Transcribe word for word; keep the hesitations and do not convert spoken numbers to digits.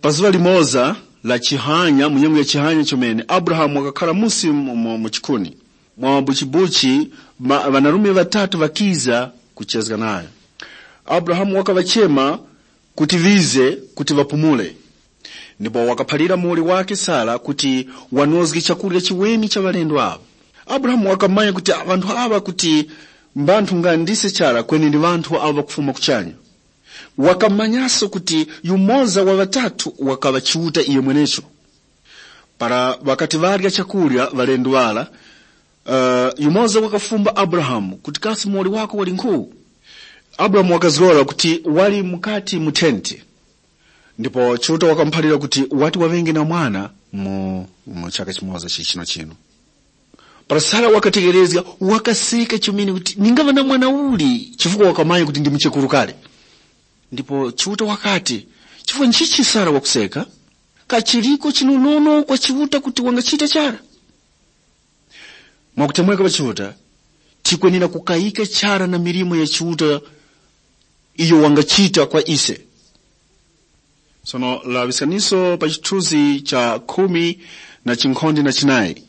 Pa zuŵa limoza la chihanya, mu nyengo ya chihanya chomene, Abrahamu wakakhala musi mu, mu, mu chikuni. Mwa buchibuchi, ma- ŵanarume ŵatatu ŵakiza kuchezga nayo. Abrahamu wakaŵachema kuti ŵize kuti ŵapumule. Ndipo wakaphalira muwoli wake Sara kuti wanozge chakurya chiweni cha ŵalendo aŵa. Abrahamu wakamanya kuti ŵanthu aŵa kuti mbanthu nga ndise chara kweni ndi ŵanthu awo ŵakufuma kuchanya. Wakamanyaso kuti yumoza wa ŵatatu wakaŵa Chiuta iyo mwenecho. Para ŵakati ŵarya chakurya ŵalendo ŵara, uh, yumoza wakafumba Abrahamu kuti, kasi muwoli wako wali nkhu? Abrahamu wakazgora kuti wali mukati mu tenti. Ndipo Chiuta wakamuphalira kuti wati waŵenge na mwana mu, mu chaka chimoza chichino chino. Para Sara wakategherezga, wakaseka chomene kuti ningaŵa na mwana uli, chifukwa wakamanya kuti ndi muchekuru kale. Ndipo Chiuta wakati, chifukwa nchichi Sara wakuseka? Kachiliko chinonono kwa Chiuta kuti wangachita chara? Mwakutemweka pa Chiuta, tikwenera kukayika chara na milimo ya Chiuta iyo wangachita kwa ise. Sono laŵiskaniso pa chithunzi cha khumi na chinkhonde na chinayi.